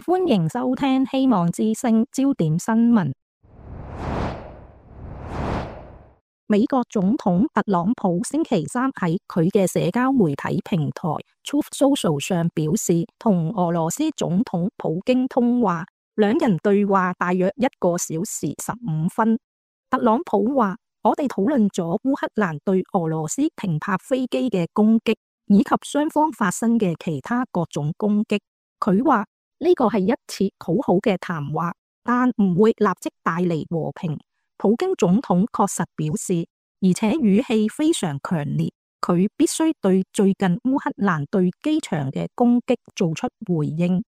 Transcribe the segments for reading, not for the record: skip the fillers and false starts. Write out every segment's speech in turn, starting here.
歡迎收聽希望之聲焦點新聞。美國總統特朗普星期三喺佢嘅社交媒體平台 Truth Social 上表示，同俄羅斯總統普京通話，兩人對話大約1個小時15分。特朗普話：我哋討論咗烏克蘭對俄羅斯停泊飛機嘅攻擊，以及雙方發生嘅其他各種攻擊。佢話呢個係一次好好嘅談話，但唔會立即帶嚟和平。普京總統確實表示，而且語氣非常強烈，佢必須對最近烏克蘭對機場嘅攻擊做出回應。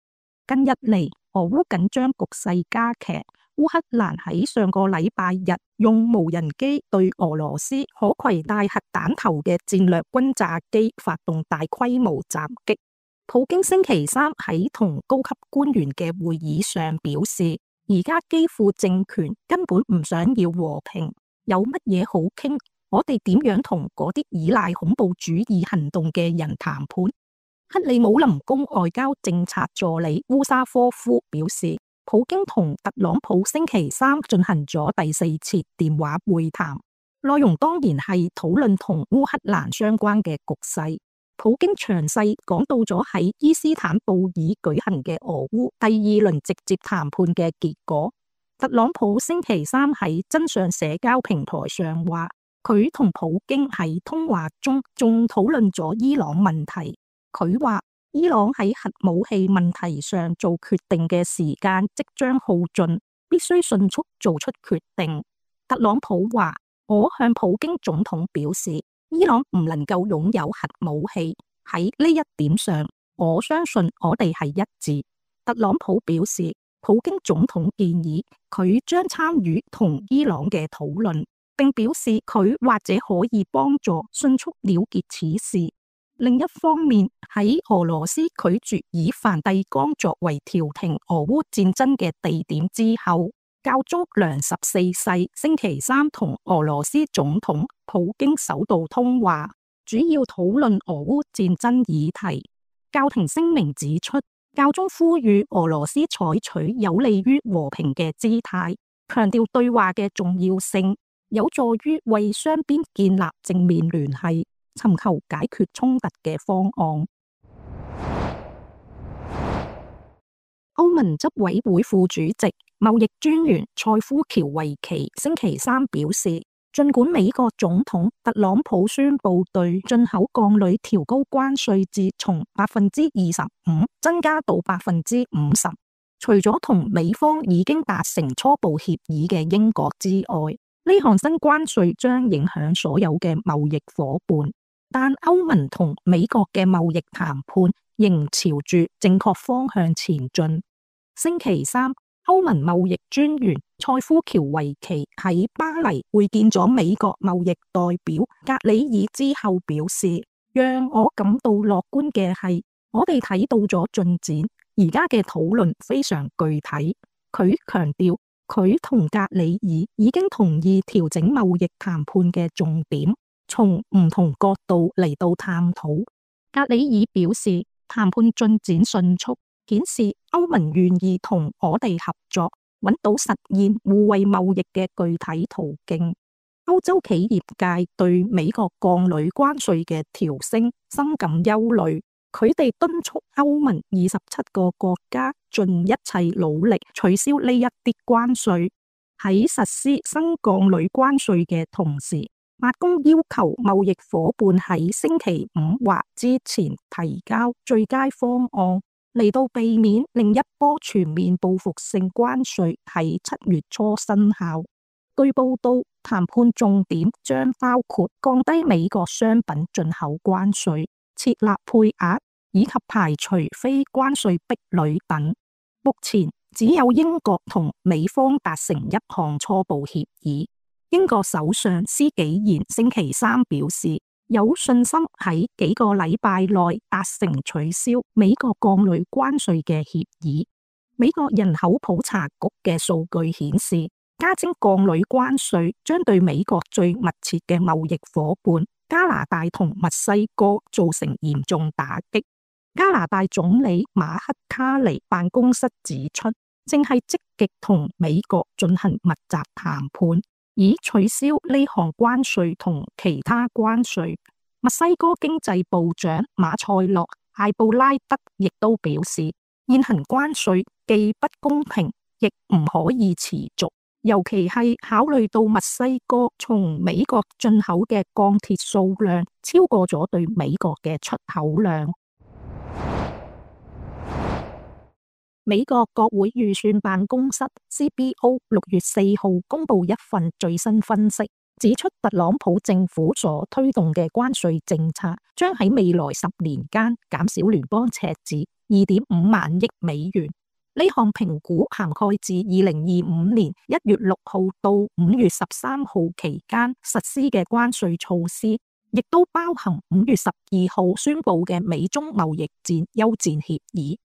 近日嚟，俄烏緊張局勢加劇，烏克蘭喺上個禮拜日用無人機對俄羅斯可攜帶核彈頭嘅戰略轟炸機發動大規模襲擊。普京星期三喺同高級官員嘅會議上表示，而家基輔政權根本唔想要和平，有乜嘢好傾？我哋點樣同嗰啲依賴恐怖主義行動嘅人談判？克里姆林宮外交政策助理烏沙科夫表示，普京同特朗普星期三進行咗第4次電話會談，內容當然係討論同烏克蘭相關嘅局勢。普京詳細講到咗喺伊斯坦布爾舉行嘅俄烏第2輪直接談判嘅結果。特朗普星期三喺真相社交平台上話，佢同普京喺通話中仲討論咗伊朗問題。佢話伊朗喺核武器問題上做決定嘅時間即將耗盡，必須迅速做出決定。特朗普話，我向普京總統表示，伊朗唔能夠擁有核武器，喺呢一點上，我相信我哋係一致。特朗普表示，普京總統建議佢將參與同伊朗嘅討論，並表示佢或者可以幫助迅速了結此事。另一方面，喺俄羅斯拒絕以梵蒂岡作為調停俄烏戰爭嘅地點之後，教宗良14世星期三同俄羅斯總統普京首度通話，主要討論俄烏戰爭議題。教廷聲明指出，教宗呼籲俄羅斯採取有利於和平嘅姿態，強調對話嘅重要性，有助於為雙邊建立正面聯繫，尋求解決衝突嘅方案。歐盟執委會副主席、貿易專員塞夫喬維奇星期三表示，儘管美國總統特朗普宣布對進口鋼鋁調高關稅至從25%增加到50%，除咗同美方已經達成初步協議嘅英國之外，呢項新關稅將影響所有嘅貿易夥伴，但歐盟同美國嘅貿易談判仍朝住正確方向前進。星期三，歐盟貿易專員塞夫喬維奇喺巴黎會見咗美國貿易代表格里爾之後表示，讓我感到樂觀嘅係，我哋睇到咗進展，而家嘅討論非常具體。佢強調，佢同格里爾已經同意調整貿易談判嘅重點，從唔同角度嚟到探討。格里爾表示，談判進展迅速，顯示歐盟願意同我哋合作，揾到實現互惠貿易嘅具體途徑。歐洲企業界對美國鋼鋁關稅嘅調升深感憂慮，佢哋敦促歐盟27個國家盡一切努力取消呢一啲關稅。喺實施新鋼鋁關稅嘅同時，白宮要求貿易夥伴喺星期5或之前提交最佳方案，嚟到避免另一波全面報復性關稅喺7月初生效。據報道，談判重點將包括降低美國商品進口關稅、設立配額以及排除非關稅壁壘等。目前只有英國同美方達成一項初步協議。英國首相施紀賢星期三表示，有信心喺幾個禮拜內達成取消美國鋼鋁關稅嘅協議。美國人口普查局嘅數據顯示，加徵鋼鋁關稅將對美國最密切嘅貿易夥伴加拿大同墨西哥造成嚴重打擊。加拿大總理馬克卡尼辦公室指出，正係積極同美國進行密集談判，以取消呢項關稅同其他關稅。墨西哥經濟部長馬塞洛艾布拉德亦都表示，現行關稅既不公平，亦唔可以持續，尤其係考慮到墨西哥從美國進口嘅鋼鐵數量超過咗對美國嘅出口量。美國國會預算辦公室 CBO 6月4號公布一份最新分析，指出特朗普政府所推動嘅關稅政策將喺未來10年間減少聯邦赤字2.5萬億美元。呢項評估涵蓋自2025年1月6號到5月13號期間實施嘅關稅措施，亦都包含5月12號宣布嘅美中貿易戰休戰協議。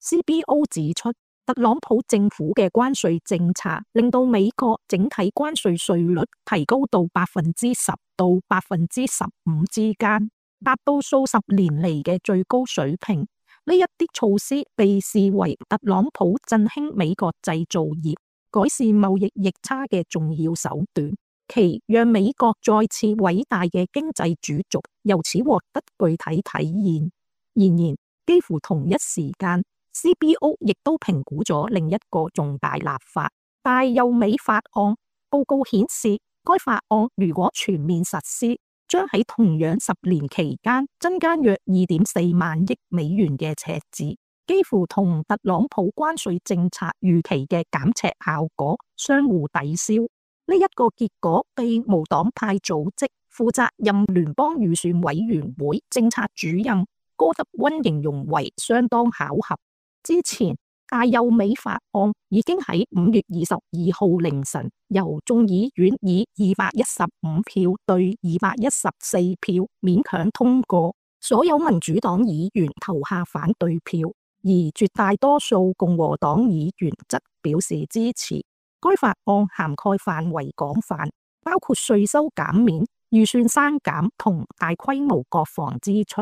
CBO 指出，特朗普政府嘅關稅政策令到美國整體關稅稅率提高到10%到15%之間，達到數十年嚟嘅最高水平。呢一啲措施被視為特朗普振興美國製造業、改善貿易逆差嘅重要手段，其讓美國再次偉大嘅經濟主軸由此獲得具體體現。然而，幾乎同一時間，CBO 亦都評估咗另一個重大立法大幼美法案。報告顯示，該法案如果全面實施，將喺同樣10年期間增加約2.4萬億美元嘅赤字，幾乎同特朗普關稅政策預期嘅減赤效果相互抵消。呢一個結果被無黨派組織負責任聯邦預算委員會政策主任戈德溫形容為相當巧合。之前大幼美法案已經喺5月22號凌晨由眾議院以215票對214票勉強通過，所有民主黨議員投下反對票，而絕大多數共和黨議員則表示支持。該法案涵蓋範圍廣泛，包括稅收減免、預算刪減同大規模國防支出。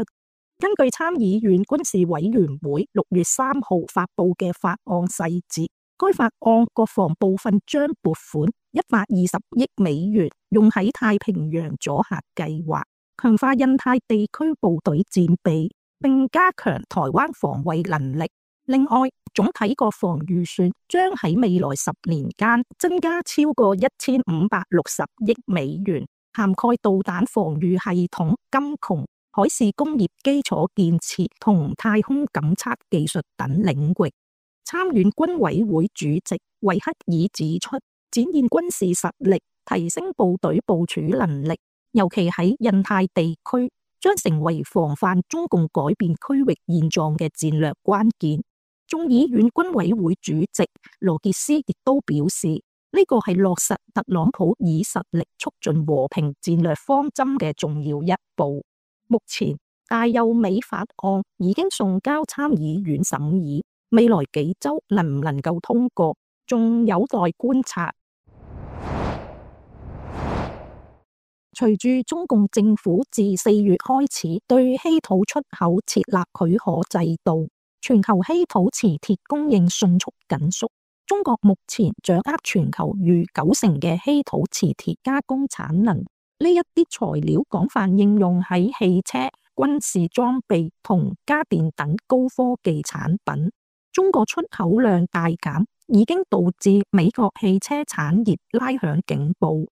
根據參議院軍事委員會6月3號發布嘅法案細節，該法案國防部分將撥款120億美元用喺太平洋阻嚇計劃，強化印太地區部隊戰備，並加強台灣防衛能力。另外，總體國防預算將喺未來10年間增加超過1560億美元，涵蓋導彈防禦系統、金窮、海事工業基礎建設同太空感測技術等領域。參院軍委會主席維克爾指出，展現軍事實力，提升部隊部署能力，尤其喺印太地區，將成為防範中共改變區域現狀嘅戰略關鍵。眾議院軍委會主席羅傑斯亦都表示，呢個係落實特朗普以實力促進和平戰略方針嘅重要一步。目前大幼美法案已經送交參議院審議，未來幾週能唔能夠通過，仲有待觀察。隨住中共政府自4月開始對稀土出口設立許可制度，全球稀土磁鐵供應迅速緊縮。中國目前掌握全球逾90%嘅稀土磁鐵加工產能。呢一啲材料廣泛應用喺汽車、軍事裝備同家電等高科技產品。中國出口量大減，已經導致美國汽車產業拉響警報。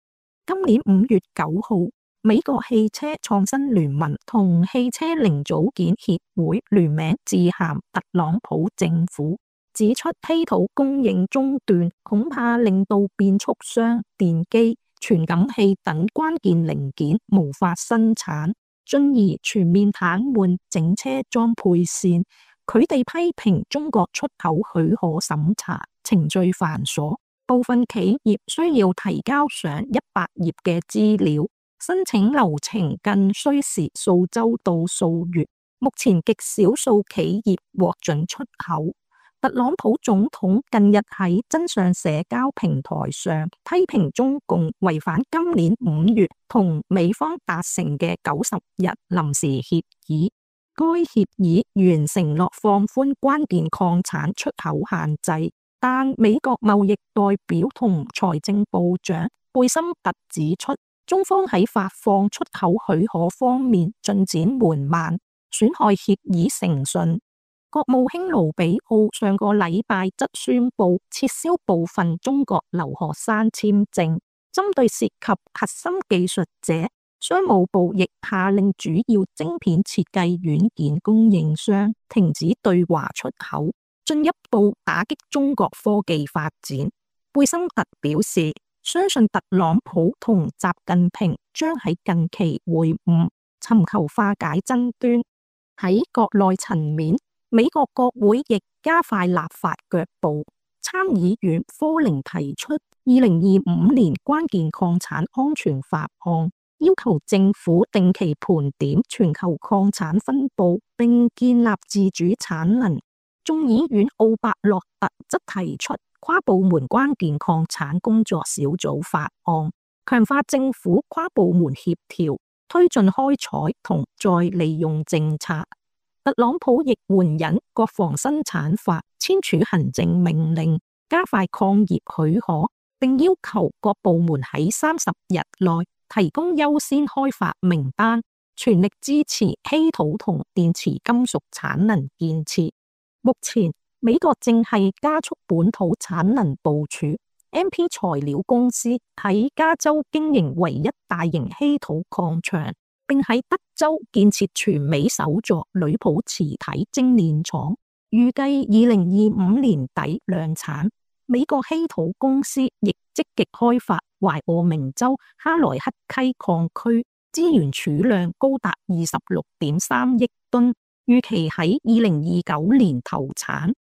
今年5月9號，美國汽車創新聯盟同汽車零組件協會聯名致函特朗普政府，指出稀土供應中斷恐怕令到變速箱、電機、傳感器等關鍵零件無法生產，進而全面癱瘓整車裝配線。佢哋批評中國出口許可審查程序繁瑣，部分企業需要提交上100頁嘅資料，申請流程更需時數週到數月。目前極少數企業獲准出口。特朗普總統近日喺真相社交平台上批評中共違反今年5月同美方達成嘅90日臨時協議。該協議原承諾放寬關鍵礦產出口限制，但美國貿易代表同財政部長貝森特指出，中方喺發放出口許可方面進展緩慢，損害協議誠信。國務卿盧比奧上個禮拜則宣布撤銷部分中國留學生簽證，針對涉及核心技術者，商務部亦下令主要晶片設計軟件供應商停止對華出口，進一步打擊中國科技發展。貝森特表示，相信特朗普同習近平將喺近期會晤，尋求化解爭端。喺國內層面，美國國會亦加快立法腳步，參議院科寧提出2025年關鍵礦產安全法案，要求政府定期盤點全球礦產分佈，並建立自主產能。眾議院奧伯洛特則提出跨部門關鍵礦產工作小組法案，強化政府跨部門協調，推進開採同再利用政策。特朗普亦援引國防生產法簽署行政命令，加快礦業許可，並要求各部門喺30日內提供優先開發名單，全力支持稀土同電池金屬產能建設。目前，美國正係加速本土產能部署。MP 材料公司喺加州經營唯一大型稀土礦場，並喺德州建設全美首座鋁箔磁體精煉廠，預計2025年底量產。美國稀土公司亦積極開發懷俄明州哈萊克溪礦區，資源儲量高達26.3億噸，預期喺2029年投產。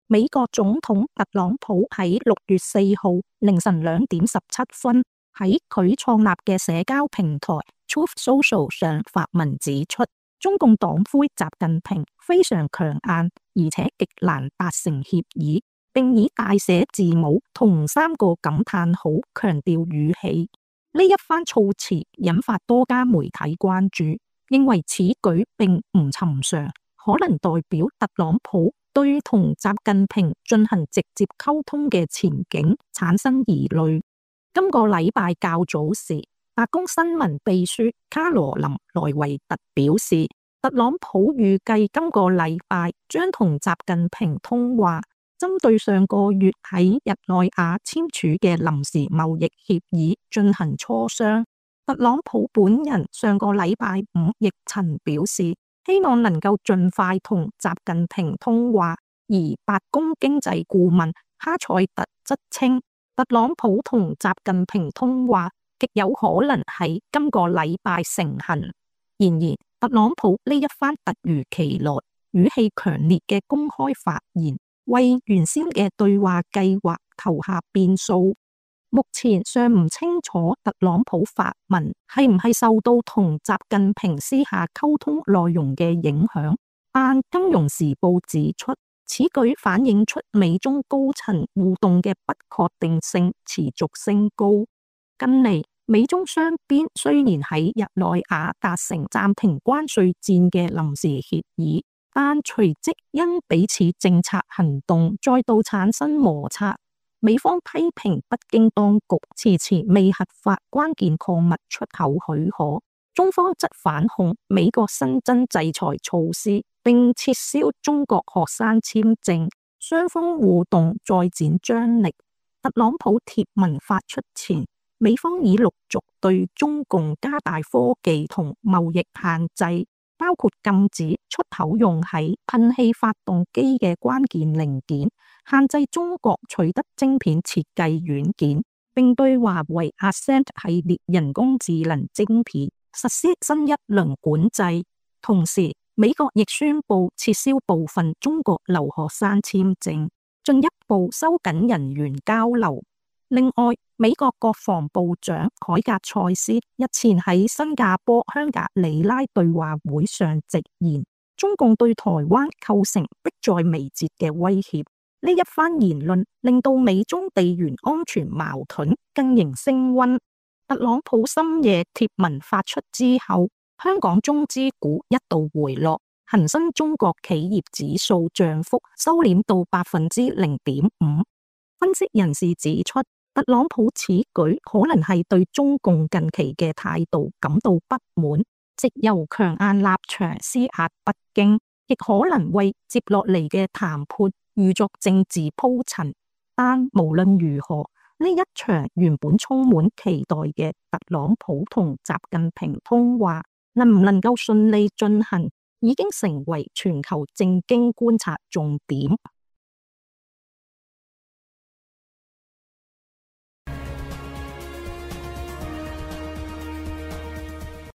美國總統特朗普喺6月4號凌晨2點17分喺佢創立嘅社交平台 Truth Social 上發文指出，中共黨魁習近平非常強硬，而且極難達成協議，並以大寫字母同3個感嘆號強調語氣。呢一番措辭引發多家媒體關注，認為此舉並唔尋常，可能代表特朗普對同習近平進行直接溝通嘅前景產生疑慮。今個禮拜較早時，白宮新聞秘書卡羅琳萊維特表示，特朗普預計今個禮拜將同習近平通話，針對上個月喺日內瓦簽署嘅臨時貿易協議進行磋商。特朗普本人上個禮拜五亦曾表示，希望能夠盡快同習近平通話，而白宮經濟顧問哈塞特則稱，特朗普同習近平通話極有可能喺今個禮拜成行。然而，特朗普呢一番突如其來、語氣強烈嘅公開發言，為原先嘅對話計劃投下變數。目前尚唔清楚特朗普發文係唔係受到同習近平私下溝通內容嘅影響，但《金融時報》指出，此舉反映出美中高層互動嘅不確定性持續升高。近嚟，美中雙邊雖然喺日內瓦達成暫停關稅戰嘅臨時協議，但隨即因彼此政策行動再度產生摩擦。美方批評北京當局遲遲未核發關鍵礦物出口許可，中方則反控美國新增制裁措施，並撤銷中國學生簽證，雙方互動再展張力。特朗普貼文發出前，美方已陸續對中共加大科技同貿易限制，包括禁止出口用喺噴氣發動機嘅關鍵零件，限制中國取得晶片設計軟件，並對華為 Ascend 系列人工智能晶片實施新一輪管制。同時，美國亦宣布撤銷部分中國留學生簽證，進一步收緊人員交流。另外，美國國防部長凱格蔡斯日前喺新加坡香格里拉對話會上直言，中共對台灣構成迫在眉睫嘅威脅。呢一番言論令到美中地緣安全矛盾更形升溫。特朗普深夜貼文發出之後，香港中資股一度回落，恒生中國企業指數漲幅收斂到0.5%。分析人士指出，特朗普此舉可能係對中共近期嘅態度感到不滿，藉由強硬立場施壓北京，亦可能為接落嚟嘅談判預作政治鋪陳。但無論如何，呢一場原本充滿期待嘅特朗普同習近平通話，能唔能夠順利進行，已經成為全球政經觀察重點。